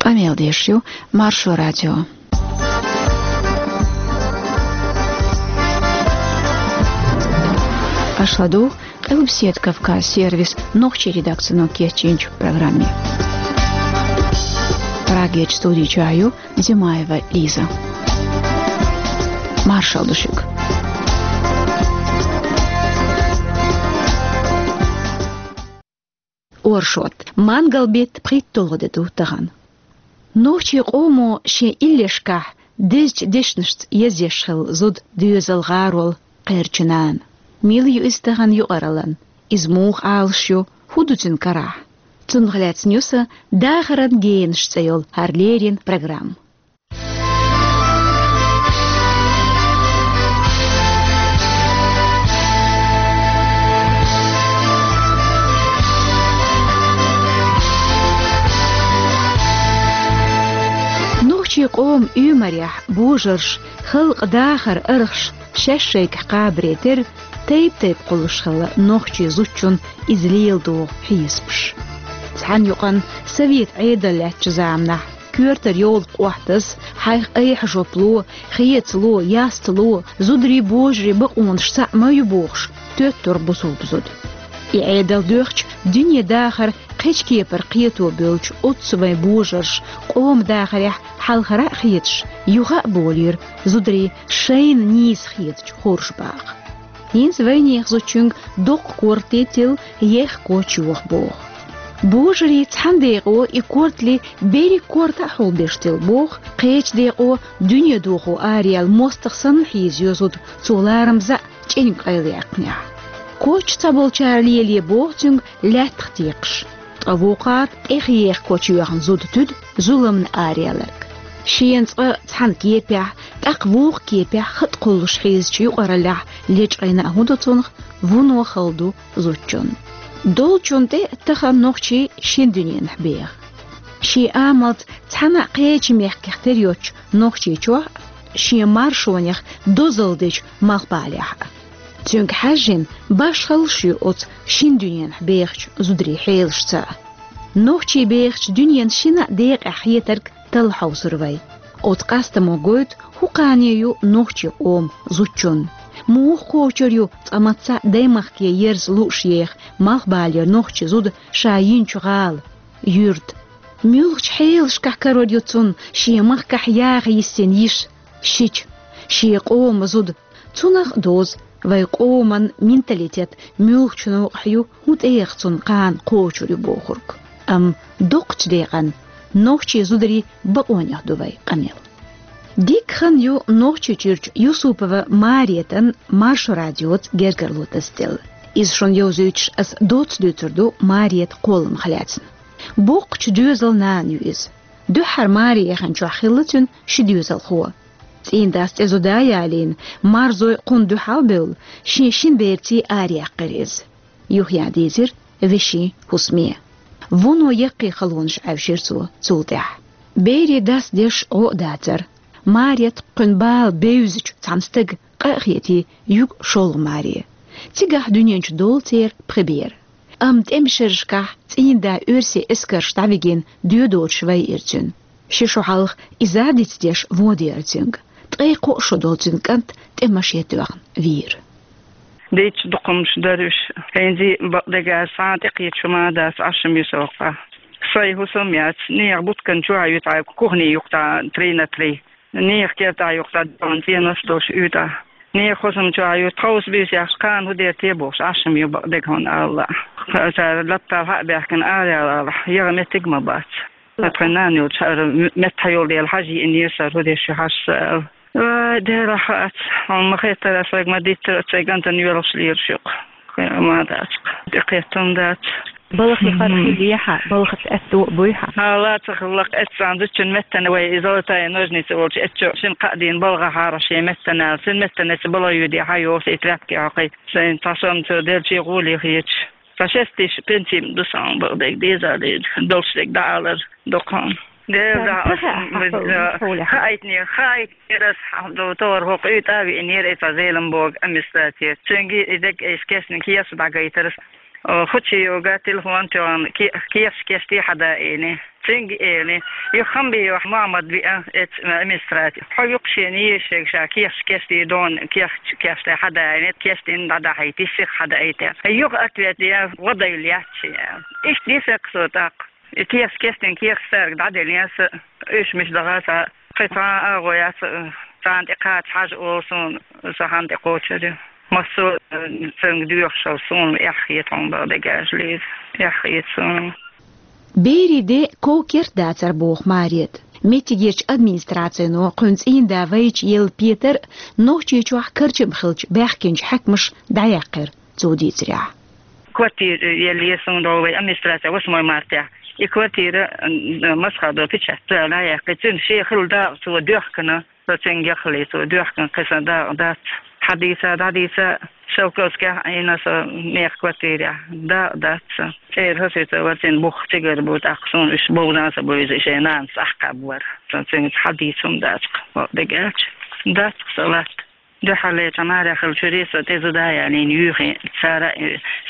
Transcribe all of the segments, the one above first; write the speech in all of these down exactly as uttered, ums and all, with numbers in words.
Къамел деш ю Маршо радио. Аша ладугӀу Къилбаседа Кавказ сервисан нохчийн редакцино кечйинчу программе. Прагерчу студи чохь ю Зимаева Лиза. Маршалла ду шуьга. Оршот. Мангал беттан пхийтталгӀа де ду тахана. Нохчийн къомо шен иллешкахь дезачу дешнашца езъеш хилла зуда доьзал, гӀарол, кхерчу нана. Мила ю иза тахана юкъараллин? Иза муха Ӏалаш ю? ХӀун ду цуьнан карахь? Цунах лаьцна ю сан «Дахаран генаш» цӀе йолу хӀара леррина программа. Нохчийн къоман оьмарехь божарша, халкъан дахаран архаша шаьш шайгахь кхабаре терра, тайп-тайпа кхуллуш хилла нохчийн зудчун иза леладогӀу хьесапаш. Цхьана юкъана совет Ӏедал лаьттачу заманахь коьртара йовлакх охьатасса, хьайх айхьа жоп ло, хецало, ястало, зударий, божарий бакъонаш цхьаъ ма ю бохуш, тоьттура бусулба зуда. И Ӏедал доьхча, дуьне дахар кхечу кепара кхето буьллучу оццу вайн божарша, къоман дахарехь хьалхара а хеташ, юха а болийра зударий шайна нийса хетачу хоржа бакъа. ХӀинца вайнехан зудчуьнга доккха корта тилла, ехха коч йоха боху. Божарий цхьана декъо и кортали берриг корта а хьулбеш тилла боху, кхечу декъо дуьне дохо араяьлла мостагӀа санна хьийзайо зуда, цо ларамаза а чӀенга къайлаяьккхинехь. Коч цхьаболчара лелае боху цуьнга лаьттах текхаш. Ткъа вукхара тӀех еха коч йоьхна зуда туьду зуламна араяьлларг. Шена цкъа цхьана кепехь, тӀаккха вукху кепехь хатӀ кхуллуш хьийзачу юкъараллехь лечкъийна а хӀун ду цунах, вуно хала ду зудчунна. Долчунна тӀе тахана нохчий шина дуьненахь беха. Шен амалца цхьана а кхечу мехкех тера йоцучу Нохчийчохь а, шен маршонех дозалла дечу Малхбалехь а. Цуьнга хьаьжжина, башхаллаш ю оцу шина дуьненахь бехачу зударийн хьелашца а. Нохчий бехачу дуьненан шина а декъехь хетарг талла хьовсур вай. Оцу къастамо гойту, хӀун кхане ю нохчийн къоман зудчунна. Муха кхочур ю цкъа мацца а даймахке ерза лууш еха Малхбалера нохчи зуда ша йинчу гӀала, юьрта. Муьлхачу хьелашкахь карор ю цунна шен махкахь яха йисина йиша, шича, шен къоман зуда. Цунах а дозу вайн къоман менталитет муьлхачу новкъахь ю, хӀун тӀех цунна кхана кхочур ю бохург. Амма доккхачу декъана нохчийн зударийн бакъонех ду вай къамел. Дика хан ю Нохчийчуьрчу Юсупова Маретан Маршо радиоца гергарло тасаделла. Иза шуна йовзуьйтуш ас доцца дуьйцур ду Марета кхолламах лаьцна. Боккхачу доьзал нана ю иза. Дуьххьара маре яханчохь хилла цуьнан ши доьзалхо. ЦӀийнан дас цӀе зуда а ялийна, марзой кхунна дуьхьал а бевлла, шен шина берций араяьккхира иза. Юхаян дийзира вешин хӀусаме. Вуно яккхий халонаш Ӏаьвшира цо цул тӀаьхьа. Берийн дас деш гӀо а дацара. Марета кхуьнан бала бевзачу цхьана стага къа а хетий, юьгу шолгӀа маре. Цигахь дуьнен чу долу церан пхи бер. Амма тӀеман шерашкахь цӀийнан да оьрсийн эскарша дӀавигина доьдочуш вайира цуьнан. Ши шо хьалха иза а дицдеш вон деара цуьнга. Ткъе кхоъ шо долу цуьнан кӀант тӀе машен тоьхна вийра. Дийцча дукха хӀуманаш дара уьш. ХӀинца бакъдерг аьлча, цхьа а тӀекхеташ хӀума а дац, Ӏаш ма ю со кхузахь. Сайн хӀусам яц, нехан буткан чохь а ю тхьа кухни юккъехь три на три. Нехан кертахь юккъехь догӀан цӀенош долуш уьйтӀахь. Нехан хӀусам чохь а ю, тховса буьйса яхаш, кхана хӀун дер те бохуш, Ӏаш ма ю бакъдерг хьуна аьлла. Цара лаптал хьа а баьхкина, араяла алахь, яха меттиг а ма бац. Ткъа тхайн нана йолчу хӀара метта йолу дела хьажа йиънера сан, хӀун деш ю хьажа сан аьлла. Вай, Дела, хаьттича, хьуна ма-хеттара, ас вайга ма-диттара, ас вайн кӀантана йоьлхуш лелаш ю-кх. Кхин а ма дац-кх. ТӀекхеттам дац. Балхе хӀара хилла хьан, балхаца аьтто а буй хьан? ХӀан, лаца хилларг эццахь, зудчун меттана вай и золотая ножница волчу эцчо шина кхаа дийна балгӀахьара шен меттана аьлла. Цуьнан меттана эццахь балха йоьдий хьан йохуш, и тряпки хьокхий. Сайн цхьа сом цо делчий гӀоле хеташ. Сан шестиш пенсим ду сан бакъдерг деза лега, долуш дерг дӀаалар дукха. Деза, хаийтинера, хаийтинера ас хьан ду, товар хӀокху уьйтӀа а виънера, и цхьа Зелимбога амистатер. Цуьнга и дерг эйс кешниг хеса дӀагайтара ас. О, хучи йога телефон чон ки-, кеш кешти хада эни. Цинг эни. Ю хамби ю Мухаммад би а, эц, администраци. Хо юк шени ешег ша кеш кешти дон кеш кешти хада эни. Кешти дада хай тисих хада эте. Юк ответ я вода юлячи. Иш дисек сотак. И кеш кешти кеш сарг дада лиас. Иш миш дагаса. Хита а гояс. Цан ти кач хаж олсун. Сахан ти кочери. Масо, э, цинг дюхшал сун. Ях етон ба дегаж лиз. Ях етсон. Бериде ков керт дацар бох Марет. Меттигерч администрацияно кхуьнца ийна да вайча ел Петар, Нохчийчохь карчам хилча баьхкинчу хьаькамаш дӀаяьккхира цо дийцарехь. Квартира ел есун дол вай администрация восьмой марта. И квартира, м, масхадо печать дӀаяьккхи. Цуьнан шен хила дакъа цо доьхкина. Со цуьнга яхале, цо доьхкина кхисан дакъа дац. Хьадийца, дӀадийца, Шелковскехь Ӏийна со мех квартирехь. Дакъа дац. ЦӀера хӀусуьца вара цуьнан бух цигара бу, тӀаккха суна уьш бовзан сан буьйза, шен нанас ахкхаббар. Сан цуьнца хьадийца хӀума дацкха, дегача. Дацкха сан латта. Дуьхьале ца маре хила чуьре со тӀе зуда ялийна юьйхи, цара,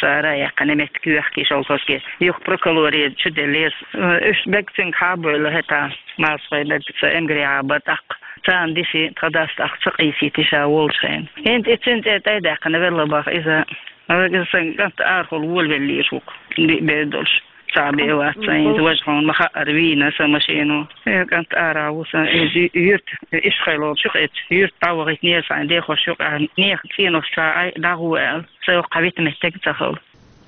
цара яьккхина меттиг юьхки Шелковски. Юха прокурори чу деллера. Уьш бег цуьнга хьабойла хӀета. Масхой бег ца эмгри а ба тӀаккха. Царна диси тха дас тӀаккха ца къийсийти ша волчу хенахь. ХӀинца и цуьнан цӀе тӀе а даьккхина велла баха иза. Вайга сан кӀант арахула волавеллера ву-кх, диъ бер долуш. Цхьа бен вац сан иза, важа хьуна ма хаъара вийна сан машено. Э, кӀант ара ву сан иза юьрта, ишхайлолчух эцу, юьрта дӀавахийтинера сан дехош юкъа, нехан цӀенош ца Ӏай, дӀагӀо аьлла. Сан йоккха вита меттиг а ца хала.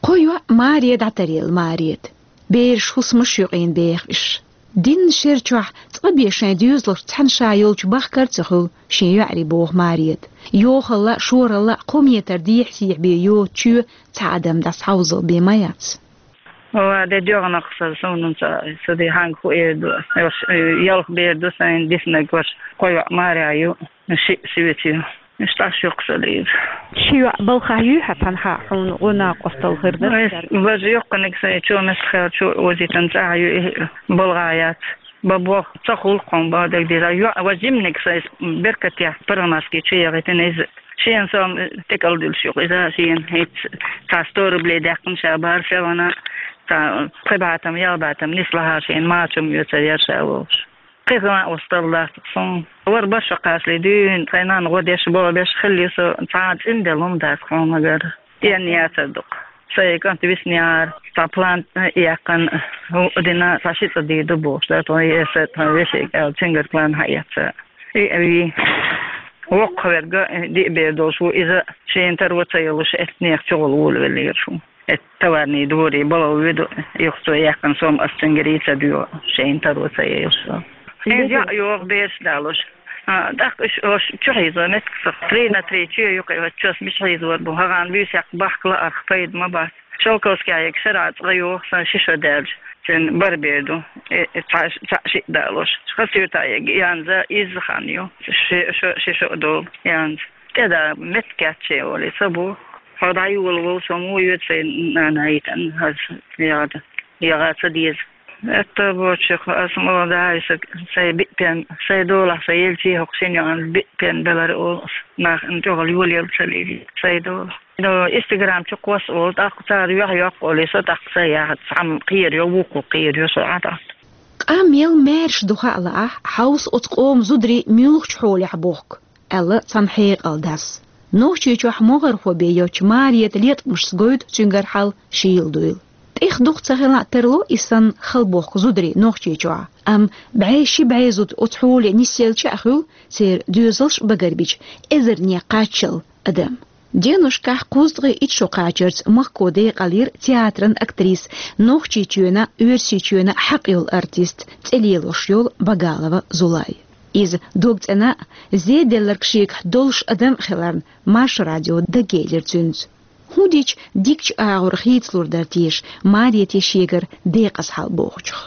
Кхо йоӀ Маре дӀатаръелла Марета. Бераш хӀусамаш юкъийна беха уьш. Динна шер чохь цкъа бен шайн доьзалшца цхьаьна ша йолчу бахкар а ца хуьлу шен йоӀарий боху Марета. Йохалла а, шоралла а кхо метр дехьа-сехьа бен йоцу чоь цхьа адам дӀасхьовзал бен ма яц. Ва де доьгӀнах сан, суна ца, ца де хьанга хӀу эр ду. Ялх бер ду сайн диснарг, ваша кхо йоӀ Маре ю, шиъ Соьца ю. Иштта аш юккъа ца лийра. Ши йоӀ балхахь юй хьан цхьанхьа хьуна гӀо накъосталла хир дара? Вай, важа йоккханиг сайн чу меттахь чу озитан цӀахь ю, и балгӀа яц. Ба бох ца хулкхун ба даг дира. ЙоӀ ва жимниг сайн беркатех паргӀатки чу ягӀитина иза. Шен сом тӀекӀал дуьлуш юкъа иза шен хӀинца цхьа сто рублей даьккхина ша бара ша вана, цхьа пхи бӀатам, ялх бӀатам нислахьа шен мачум ю ца яр ша волуш. Кхин а осталла дац суна. Вара башха кхашле дуьйна, тхайн нанна гӀо деш, боху беш хилли со, цхьа а цӀинделла хӀума дац хьуна гара. Стенна яцар ду-кх. Сайн кӀант виснехьара, цхьа план яьккхина, хӀу дина, цхьа ши цӀа дийр ду бохуш, да, тхо эса, тхо вешега аьлла, цуьнгара план хьаэца. И, и, воккхаверг, диъ бер долуш ву иза, шена таро ца йолуш, эцнех чугӀула волавеллера шу. Эт товарный дворе бала вуьду, юха цо яьккхина сом ас цуьнгара ца дуьйгӀу, шайна таро ца елаш. Иза яа йогӀу бераш далуш. А, тӀаккха уьш, уьш чу хьийзо меттиг ца, три на три чу юкъа, вот чос миш хьийзор бу, хӀагӀан буьйсех бахка лаарх пайда ма бац. Шелковская шара цкъа йогӀу сан ши шо даьлча, цуьнан бара бер ду, э, э, цхьа, цхьа шиъ далуш. Хасуьйтаег янза изза хан ю, ши шо, ши шо долу янза. ТӀеда меттиг кечче олий, ца бу. Хьо дӀайола волу со муха йоьду сайн нана йитан, хаза ягӀа, ягӀа ца деза. Этта бочух, ас мо да, аса сайн биъ пен, сайн долахь сайн елчий хӀокху шина йоӀан биъ пен белара олу ас. Нах ан чӀогӀал йолаелла ца лийли, сайн долахь. Ну, Instagram чу кхосса олу, тӀаккха цара юьхь йоккха олий, со тӀаккха сайн яхьа, цхьамма кхера йо, вукху кхера йо, со Ӏа тӀаккха. Къам мел маьрша ду хаа лаахь, хьовса оцу къоман зударий муьлхачу хьолехь бохку. Аьлла цхьана хьекъал дас. Нохчийчохь могӀархо бен йоцчу Марета леткъамашца гойту цуьнгара хьал шийла дуйла. ТӀех дукха ца хилла а тарло и санна хала бохку зударий Нохчийчохь, амма бӀе ши бӀе зуда оцу хьоле нисъелча а хуьлу, церан доьзалш а багарбича, эзарнех кхаччалла адам. Деношкахь кхузткъе итт шо кхачарца махко декъалйира театран актриса, Нохчийчоьнан, Оьрсийчоьнан хьакъ йолу артист, цӀе лелош йолу Багалова Зулай. Иза дог цӀена а, зеделларг шегахь долуш адам а хиларна, Маршо радио даггейлира цуьнца. ХӀун дича дикачу агӀор хийцалур дара теша Марете шегара декъаза хьал бохучух?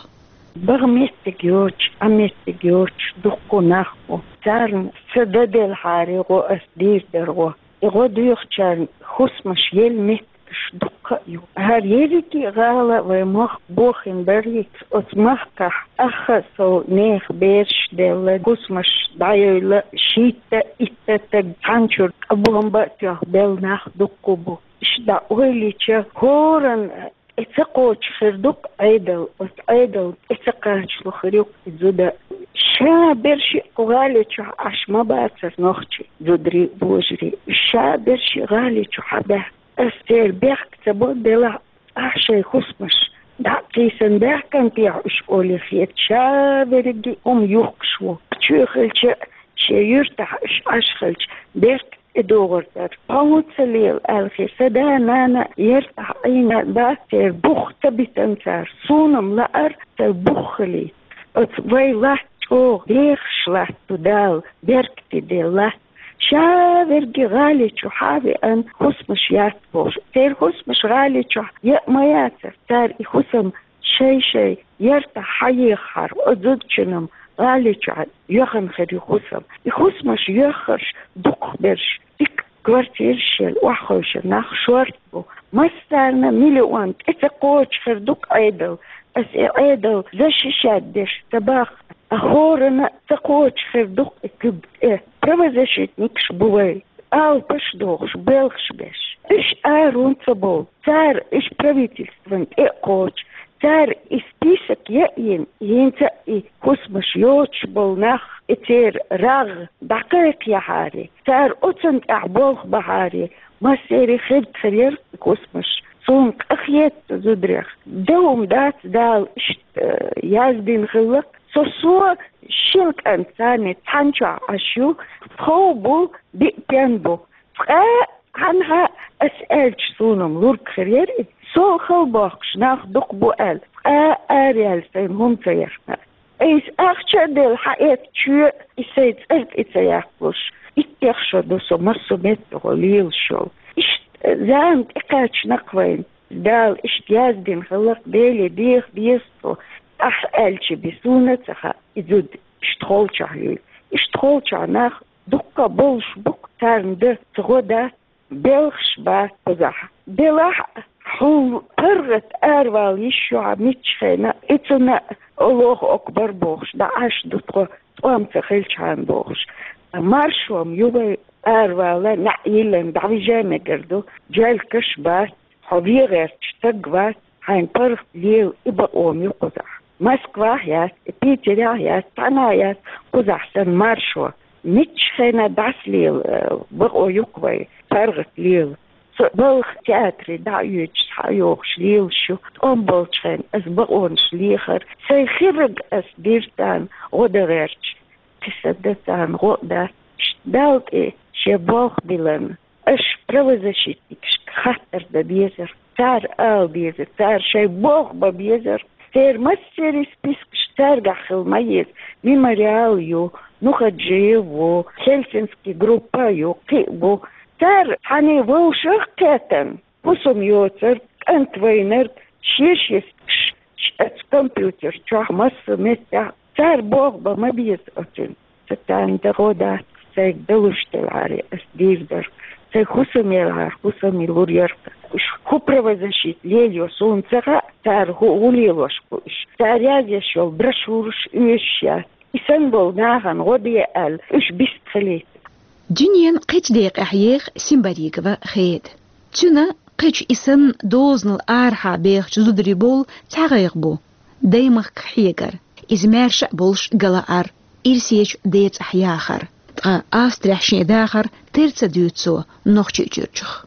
Бага меттиг йоцуш, Ӏа меттиг йоцуш дуккха нах бу. Царна ца дан делхьара гӀо ас дийр дара гӀо. И гӀо доьхучарна хӀусамаш елла меттигаш дуккха а ю. ХӀара ерриге а гӀала вай мохк бохийна барийца, оцу махкахь ахха а сов нехан бераш а делла, хӀусамаш дӀайойла, шийтта а, итт а стаг цхьана чуьра къа бомба а тоьхна белла нах дуккха а бу. Иштта ойла йича, хӀоранна тӀе ца кхочуш хир ду-кх Ӏедал, оцу Ӏедал тӀе ца кхачало хир ю-кх и зуда. Ша берш кху гӀали чохь Ӏаш ма бацара нохчий, зударий, божарий. Ша берш гӀали чу хьабаьхна. Ас церан бехк ца бо, делахь, ахь шайн хӀусамаш дӀа а кхийсина баьхкина техьа уьш олий хета, ша берриге хӀума юхкуш ву. Чоь хилча, шен юьртахь уьш Ӏаш хилча, беркат тӀедогӀур дара. Тхо хӀун ца лела аьлла хета, сан да-нана яртахь Ӏийна бац, церан бух ца битина цара. Суна-м лаьара, церан бух хилийта. Оцу вай латта чӀогӀа дехаш латта ду Дала, беркате делла латта. Ша верриге гӀали чу хьа а веана, хӀусамаш яц бохуш. Церан хӀусамаш гӀали чохь яа а ма яцара. Цара и хӀусам шай-шайн яртахь хьаехахьара, оцу зудчунна-м гӀали чохь йоьхна хир ю хӀусам. И хӀусамаш йоьхнарш дукхахберш, дика квартираш елла, охьахевшина нах шорта бу. Массарна миллион тӀе ца кхочуш хир ду-кх Ӏедал. Ас и Ӏедал защищать деш ца боху, а хӀоранна а ца кхочуш хир ду-кх и куьг тӀе. Правозащитникаш бу вай, алапаш дохуш, белхаш беш. Уьш ара хӀунда ца бовлу? Цара уьш правительствана тӀе а кхочу, цара и список яа а йина, хӀинца а и хӀусамаш йоцуш болу нах, и церан рагӀ дӀакхайкхаяхьара, цара оцунна тӀехь болх бахьара, массеран хирда хир яра и хӀусамаш. Суна къахета цу зударех. Дан хӀума дац, Дала иштта, э, яздина хилла-кх. Со, со шина кӀант царна цхьана чохь Ӏаш ю, тхов бу, биъ пен бу. Цкъа а, цхьанхьа а ас аьлча, суна-м лург хир яра и, сол хала бохкуш нах дукха бу аьлла, цкъа а араяьлла сайна хӀума ца яхна. Айса ахча а делла, хьаэцна чоь, и сайн цӀарна тӀе ца яккхалуш, иттех шо ду со массо а меттехула лелаш йолу. Иштта зама тӀекхаьчна-кх вайна. Дала иштта яздина хилла-кх, Деле деха деза тхо. Ахь аьлча бен суна а ца хаьа, и зуда иштта холчохь юй. Иштта холчохь нах дуккха а болуш бу-кх, царна дан ца гӀо дац, белхаш бац кхузахь. Делахь а, хьуна паргӀат аравала йиш ю хьан миччахь хенахь, и цунна а Аллаху акбар бохуш, дӀа Ӏаш ду тхо, тӀом ца хилчхьана бохуш. Маршо-м ю вай аравала, неӀ йиллина дӀавижа мегар ду, джелкаш бац, хьо вен гӀерташ стаг вац, хьайна паргӀат лела и бакъо-м ю кхузахь. Москвахь яц, Питерехь яц, цхьанхьа яц кхузахь санна маршо. Миччахь хенахь дӀасалела, э, бакъо ю-кх вай, паргӀат лела. Со балха театре дӀа а оьцуш, схьа а йогӀуш лелаш ю. ТӀом болчу хенахь ас бакъонаш лехара. Сайн хирарг ас дира царна гӀо дан гӀерташ. Кхин сан дан царна гӀо а дац. Далла тӀе шен болх биллина. Аша правозащитникашка хаттар дан безара, цара ала безара, цара шайн болх бан безара. Церан массеран спискаш цаьргахь хила ма еза. Мемориал ю, Нухаджиев ву, Хельсинский группа ю, кхин а бу. Цара цхьаьна вовшах а кхетта, хӀусам йоцург, кӀант вайнарг, шен-шен спискаш оцу компьютер чохь массо а меттехь, цара болх бан ма беза оцунна. Сан царна дан гӀо дац, сайга далуш делахьара ас дийр дара. Сайн хӀусам елахьара, хӀусаме лур яра-кх. Уьш хӀун правозащита лелайо суна ца хаьа, цара хӀу-, хӀун лелош бу уьш. Цара язъеш йолу брошюраш оьшуш яц. И санна болу нахана гӀо де аьлла, уьш бист хилийта. Дуьненан кхечу декъехь еха Симбаригова Хеда. Цуьнан кхечу и санна дозанал арахьа бехачу зударийн бовла цхьа гӀайгӀа бу, даймахка хьегар, иза маьрша а болуш галаар, ирсечу децӀахь яхар. Ткъа Австрехь шен дахар тера ца дуьйцу цо Нохчийчуьрчух.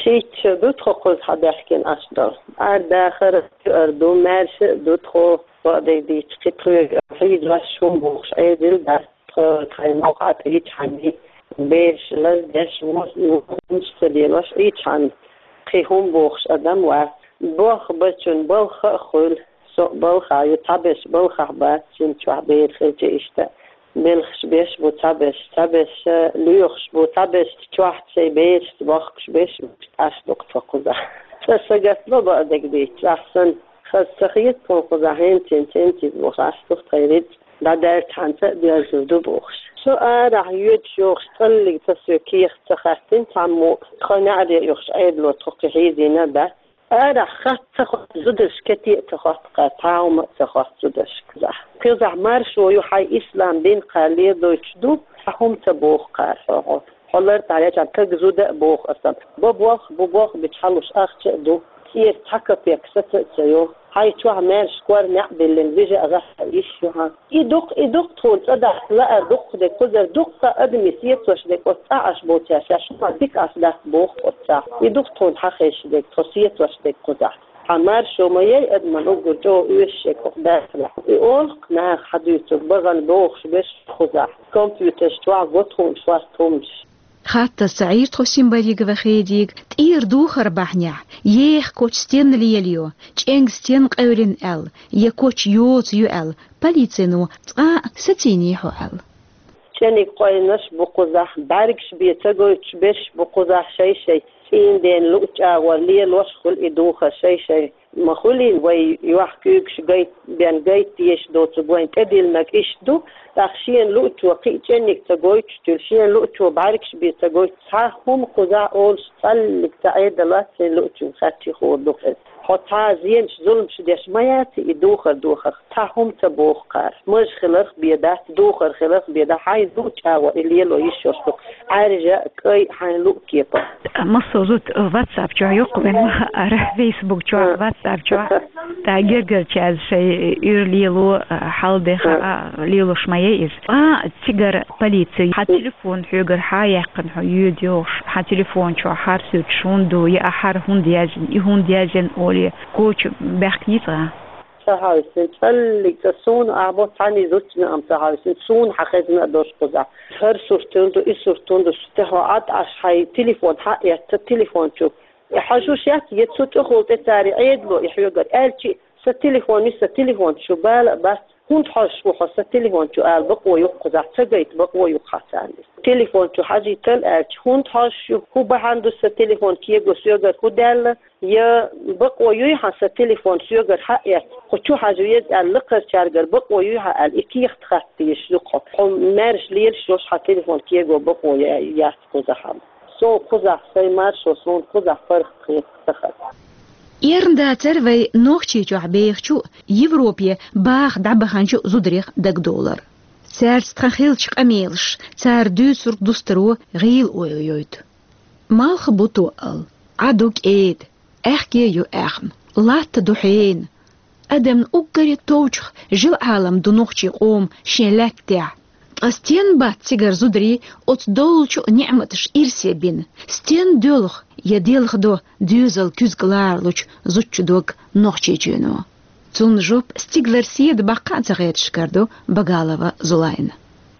Шийтта шо ду тхо кхузахь даьхкина Ӏаш долу. Ара дахар а, туьар а ду, маьрша а ду тхо, бакъдерг дийцча, кхин тхоьга хьийзош хӀума бохуш Ӏедал дац. Тхо тхайн новкъахь Ӏийчхьана, бераш лаздеш, вон-, вонаш ца лелош Ӏийчхьана, кхин хӀума бохуш адам вац. Болх бечун балха а хуьлу, со а балхахь ю, цхьаберш балхахь бац, шина чохь бер хилча иштта. Белхаш беш бу цхьаберш, цхьаберш лоьхуш бу, цхьаберш чохь шайн берашца бохкуш беш бу, Ӏаш ду-кх тхо кхузахь. Цкъа сагатдо, бакъдерг дийцча, ахь санна, хаза ца хета тхуна кхузахь, хӀинца, хӀинца, хӀинца иза бохуш Ӏаш ду-кх тхайн рицкъ. ДӀадерзахьана ца а доьрзур ду бохуш. Со арахь йоьдуш йогӀуш цкъа а соьга кехат ца хаттина цхьаммо, тхо неӀаре а юхуш Ӏедало тхо кхин хьийзийна а дац. Арахь хатта ца хотту зударшка кете а ца хотту кхара, цхьа хӀума а ца хотту зударшка кхузахь. Кхузахь маршо ю, хьайн ислам дин кхара ледойтуш ду, цхьа хӀума ца боху кхара хьо, хьо. Хьо лар тӀехь леча каг зуда а боху аса. Бо бох, бу бох бича хьалуш ахча а ду. ЦӀера цхьа капек саца а ца йо. Хьайн чохь маьрша кор неӀ биллина вижа а гӀахьа йиш ю хьан. И дукха, и дукха тхуна цӀа дахьа лаар дукха дерг кхузара дуккха а адамийн сецош дерг оцу цӀа Ӏаш боцу, ша шуна дика Ӏаш дац боху оцу цӀа. И дукха тхуна хьан хезаш дерг, тхо сецош дерг кхузахь. Хьан маршо ма яй адаман уггар чӀогӀа оьшуш шег хӀокху дацахь. И олу-кх наха хьан дуьйцург, бахана бохуш берш кхузахь. Компьютерш чохь го тхуна шорта хӀуманаш. Хаттаза ца Ӏийра тхо Симбаригова Хедига, тӀера духар бахьанехь, еха коч стенна лелайо, чӀенг стенна къевлина аьлла, я коч йоцу ю аьлла, полицино цкъа а сацийний хьо аьлла. ЧӀениг къойнаш бу кхузахь, бӀаьргаш бен ца гойтуш берш бу кхузахь шай-шай. ЦӀийнден луъучу агӀор лелош хуьлу и духар шай-шай. Ма хуьлийла вай юьхь куьйгаш гайт-, бен гайта дезаш доцург вайн тӀедиллинарг иштта ду, тӀаккха шена луъучо кхин а чӀенниг ца гойтуш туьлу, шена луъучо бӀаьргаш бен ца гойтуш, цхьа хӀума кхузахь олуш цхьаллиг ца Ӏедаллац шена луъучун хатти хуур ду хеза. Хьо цхьа а зенаш, зуламаш деш ма яций и духар дохарх, цхьа хӀума ца боху кхара. Маж хиларх бен дац, духар хиларх бен дац, хьайн луъучу агӀор и лело йиш йолуш ду, Ӏаьржа а, кӀай а, хьайн луъу кепа. Массо а зуда WhatsApp чохь йоккху вайн ма хаара, Facebook чохь, WhatsApp чохь. Та гергарчаьрца шайн уьйр лело, хьал де хаа, лелош ма яй иза. А, цигара полици, хьан телефон хьоьгара хьан яьккхина хьо йоьду йохуш, хьан телефон чохь хӀара суьрташ хӀунда ду, я ахь хӀара хӀунда яздина, и хӀунда яздина олий, коча баьхкиний цкъа? Ца хьовсина, цӀаллиг цӀа суна ахь бо, цхьаьний зудчунна а ца хьовсина, суна хьан хезна а долуш кхузахь. ХӀара сурт хӀунда ду, и сурт хӀунда ду, шу тӀехьо Ӏад Ӏаш хьайн телефон хьаэцна телефон чу. И хьажуш яц, я цу тӀехула тӀе цара Ӏедало и хьоьгара аьлчи, сан телефон ю, сан телефон чу бала а бац, хӀунда хьожуш ву хьо сан телефон чу ала бакъо ю-кх кхузахь, ца гайта бакъо ю-кх хьан царна иза. Телефон чу хьажийтал аьлча, хӀунда хьожуш ю, хӀун бахьана ду сан телефон кего соьгара хӀун даьлла, я бакъо юй хьан сан телефон соьгара хьаэцна, кху чу хьажа веза аьлла, лакхарчаьргара бакъо юй хьан аьлла, и кехат хатта дезаш ю-кх хьо. Хьо маьрша лелаш йолуш хьан телефон кего бакъо я-, яц кхузахь-м. Суна кхузахь, сайн маршо суна кхузахь паргӀат хета ца хаза. Эрна дацара вай Нохчийчохь бехачу, Европе баха дӀабаханчу зударех дагадовлар. Цаьрца тхан хиллачу къамелаш, цара дуьйцург дустаро гӀийла ойла йойту. Малх бу тоъал, Ӏа ду кӀеда, аьхке ю аьхна, латта ду хьена. Адамна уггаре товчух жил-Ӏалам ду нохчийн къоман шен лаьттахь. Ткъа стенна бац цигара зударий оцу доллучу ниӀматаша ирсе бина? Стенна доьлху я делха до доьзал куьзга ларалучу зудчун дог Нохчийчоьно? Цунна жоп стигалара седа баккха а ца хеташ карадо Багалова Зулайна.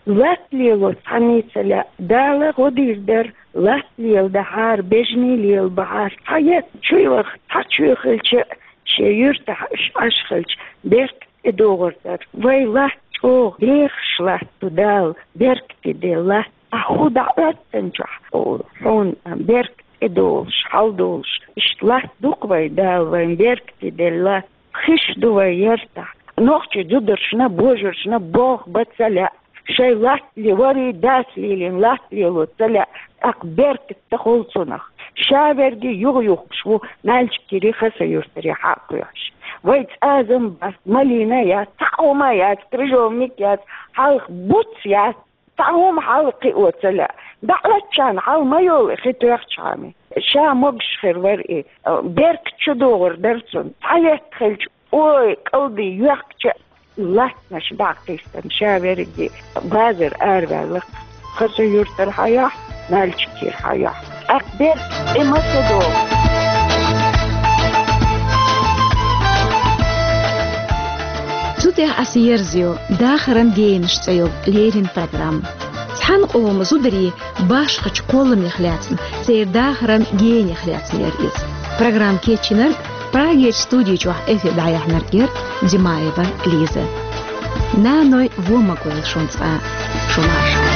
Латта лело цхьанний ца лаьа, Дала гӀо дийр дара, латта леладахьара, бежаний лелабахьара. Цхьа етт чу йоьху, цхьа чоь хилча, шен юьртахь уьш Ӏаш хилча, беркат тӀедогӀур дара. Вай латта чӀогӀа дехаш латта ду Дала, беркате делла латта. Ахь хӀун дӀа Ӏоьттинчохь хьуна беркат тӀедолуш, хьалдолуш, иштта латта ду-кх вай Дала, вайн беркате делла латта. Хиш ду вай яртахь. Нохчий зударшна, божаршна болх бан ца лаьа. Шайн латта ле-, варий дас лелийна латта лело ца лаьа, тӀаккха беркат ца хуьлу цунах. Ша верриге юхаюхкуш ву Нальчикерий, Хасавюртарий хьа а кхоьхьуш. Вай цӀазам бац, малина яц, цхьа а хӀума яц, крыжовник яц, хьалха буц яц, цхьа хӀума хьалха кхио ца лаьа. ДӀа Ӏоьттича хьал ма йолу и хи тоьхчахьана. Ша могуш хир вара и, беркат чу догӀур дара цунна. Цхьа етт хилча, ой, кӀалдий йоьхкича, латтанаш дӀа а кхийсина, ша верриге базар араваьлла-кх. Хасавюртара хьаяхь, Нальчикера хьаяхь. ТӀаккха беркат тӀе ма ца догӀу. Цу тӀехь аса ерзайо «Дахаран генаш» цӀе йолу леррина программа. Цхьана къоман зударийн башхачу кхолламех лаьцна, церан дахаран генех лаьцна яра иза. Программа кечйинарг, Прагерчу студи чохь эфир дӀаяьхьнарг яра Димаева Лиза. Наной вон ма гойла шун цкъа а. Шун марша.